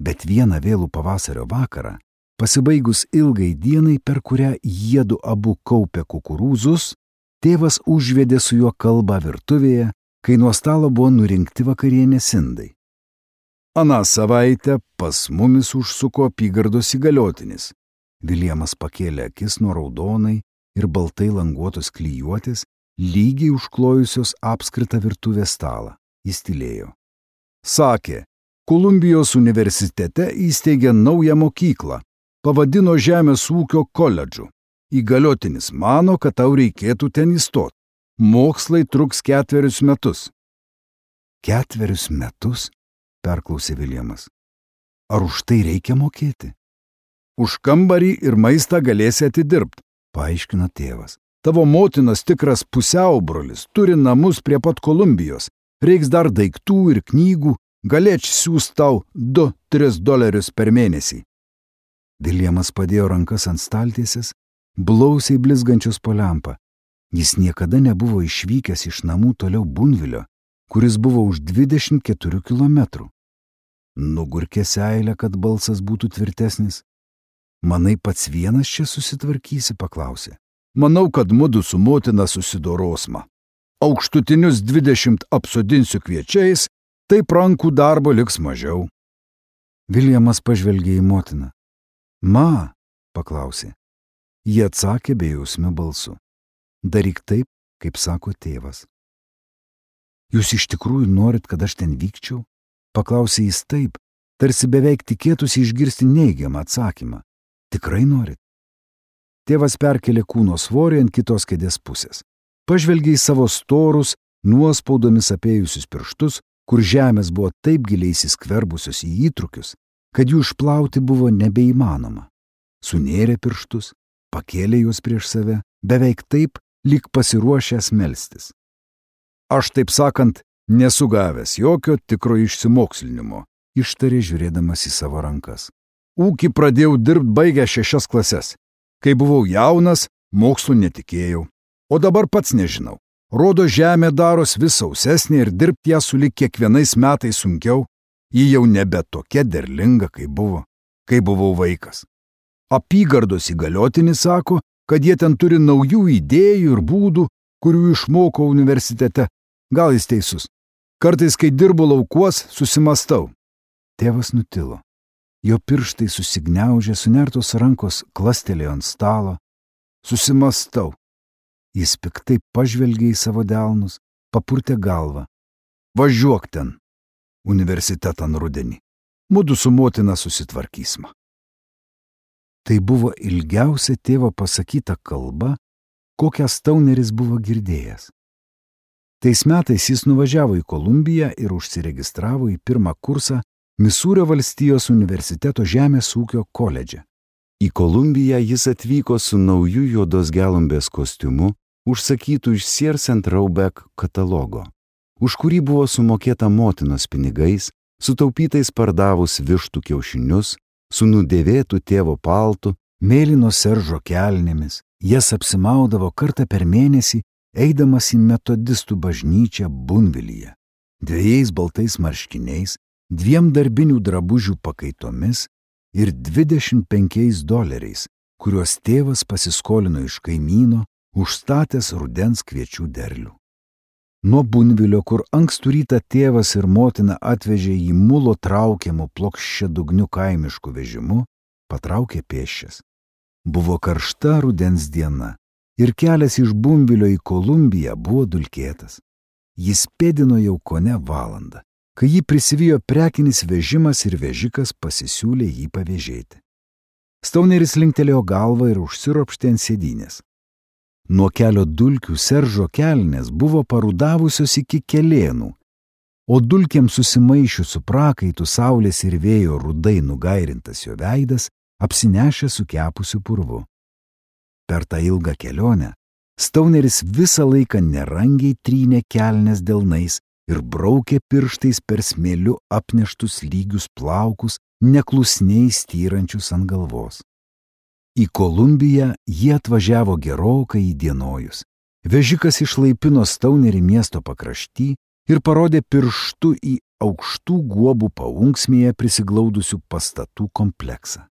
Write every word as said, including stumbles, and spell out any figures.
Bet vieną vėlų pavasario vakarą, pasibaigus ilgai dienai, per kurią jiedu abu kaupė kukurūzus, tėvas užvedė su juo kalbą virtuvėje, kai nuo stalo buvo nurinkti vakarienės indai. Aną savaitę pas mumis užsuko apygardos įgaliotinis. Viljamas pakėlė akis nuo raudonai ir baltai languotos klijuotės, lygiai užklojusios apskritą virtuvės stalą. Jis tylėjo. Sakė, Kolumbijos universitete įsteigė naują mokyklą, pavadino Žemės ūkio koledžu. Įgaliotinis mano, kad tau reikėtų ten įstoti. Mokslai truks ketverius metus. Ketverius metus? Perklausė Viljamas. Ar už tai reikia mokėti? Už kambarį ir maistą galėsi atidirbti, paaiškino tėvas. Tavo motinas tikras pusiaubrolis, turi namus prie pat Kolumbijos. Reiks dar daiktų ir knygų, galėč siūs tau du tris dolerius per mėnesį. Viljamas padėjo rankas ant staltiesės, blausiai blizgančios po lempą. Jis niekada nebuvo išvykęs iš namų toliau Bunvilio, kuris buvo už dvidešimt keturių kilometrų. Nugurkė seilę, kad balsas būtų tvirtesnis. Manai, pats vienas čia susitvarkysi, paklausė. Manau, kad mudu su motina susidorosma. Aukštutinius dvidešimt apsodinsiu kviečiais, taip rankų darbo liks mažiau. Viljamas pažvelgė į motiną. Ma, paklausė. Jie atsakė bejausmiu balsu. Daryk taip, kaip sako tėvas. Jūs iš tikrųjų norit, kad aš ten vykčiau? Paklausė jis taip, tarsi beveik tikėtųsi išgirsti neigiamą atsakymą. Tikrai norit? Tėvas perkelė kūno svorį ant kitos kėdės pusės. Pažvelgė į savo storus, nuospaudomis apėjusius pirštus, kur žemės buvo taip giliai įsiskverbusios į įtrukius, kad jų išplauti buvo nebeįmanoma. Sunėrė pirštus, pakėlė juos prieš save, beveik taip, lyg pasiruošęs melstis. Aš, taip sakant, nesu gavęs jokio tikro išsimokslinimo, ištarė žiūrėdamas į savo rankas. Ūkį pradėjau dirbti baigę šešias klases. Kai buvau jaunas, mokslų netikėjau. O dabar pats nežinau. Rodo, žemė daros vis sausesnė ir dirbti ją sulig kiekvienais metais sunkiau. Ji jau nebe tokia derlinga, kaip buvo, kai buvau vaikas. Apygardos įgaliotinis sako, kad jie ten turi naujų idėjų ir būdų, kurių išmoko universitete. Gal jis teisus. Kartais, kai dirbu laukuos, susimastau. Tėvas nutilo. Jo pirštai susigniaužė, sunertos rankos klastelėjo ant stalo. Susimastau. Jis piktai pažvelgė į savo delnus, papurtė galvą. Važiuok ten, universitetan rudenį. Mudu su motina susitvarkysime. Tai buvo ilgiausia tėvo pasakyta kalba, kokią Stauneris buvo girdėjęs. Tais metais jis nuvažiavo į Kolumbiją ir užsiregistravo į pirmą kursą Misūrio valstijos universiteto žemės ūkio koledže. Į Kolumbiją jis atvyko su nauju juodos gelumbės kostiumu, užsakytų iš Sears and Roebuck katalogo, už kurį buvo sumokėta motinos pinigais, sutaupytais pardavus vištų kiaušinius, su nudėvėtų tėvo paltu, mėlyno seržo kelnėmis. Jas apsimaudavo kartą per mėnesį, eidamas į metodistų bažnyčią Bunvilyje, dviejais baltais marškiniais, dviem darbinių drabužių pakaitomis ir dvidešimt penkiais doleriais, kuriuos tėvas pasiskolino iš kaimyno, užstatęs rudens kviečių derlių. Nuo Bunvilio, kur ankstų rytą tėvas ir motina atvežė į mulo traukiamų plokščiadugnių kaimiškų vežimu, patraukė pėsčias. Buvo karšta rudens diena ir kelias iš Bunvilio į Kolumbiją buvo dulkėtas. Jis pėdino jau kone valandą, kai jį prisivijo prekinis vežimas ir vežikas pasisiūlė jį pavėžėti. Stauneris linktelėjo galvą ir užsiropštė ant sėdynės. Nuo kelio dulkių seržo kelnės buvo parudavusios iki kelėnų, o dulkėms susimaišius su prakaitu saulės ir vėjo rudai nugairintas jo veidas apsinešė sukepusiu purvu. Per tą ilgą kelionę Stauneris visą laiką nerangiai trynė kelnes delnais ir braukė pirštais per smėliu apneštus lygius plaukus, neklusniai styrančius ant galvos. Į Kolumbiją jie atvažiavo gerokai įdienojus. Vežikas išlaipino Staunerį miesto pakrašty ir parodė pirštu į aukštų guobų paunksmėje prisiglaudusių pastatų kompleksą.